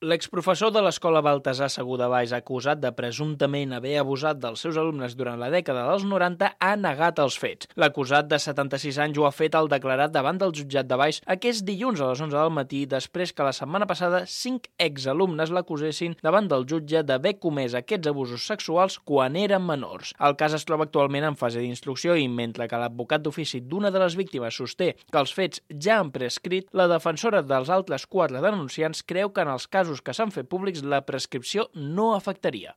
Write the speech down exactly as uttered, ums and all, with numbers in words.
L'exprofessor de l'escola Baltasar Segú de Valls, acusat de presumptament haver abusat dels seus alumnes durant la dècada dels noranta, ha negat els fets. L'acusat de setanta-sis anys ho ha fet al declarat davant del jutjat de Valls aquest dilluns a les onze del matí, després que la setmana passada cinc exalumnes l'acusessin davant del jutge d'haver comès aquests abusos sexuals quan eren menors. El cas es troba actualment en fase d'instrucció i, mentre que l'advocat d'ofici d'una de les víctimes sosté que els fets ja han prescrit, la defensora dels altres quatre denunciants creu que en els casos que s'han fet públics la prescripció no afectaria.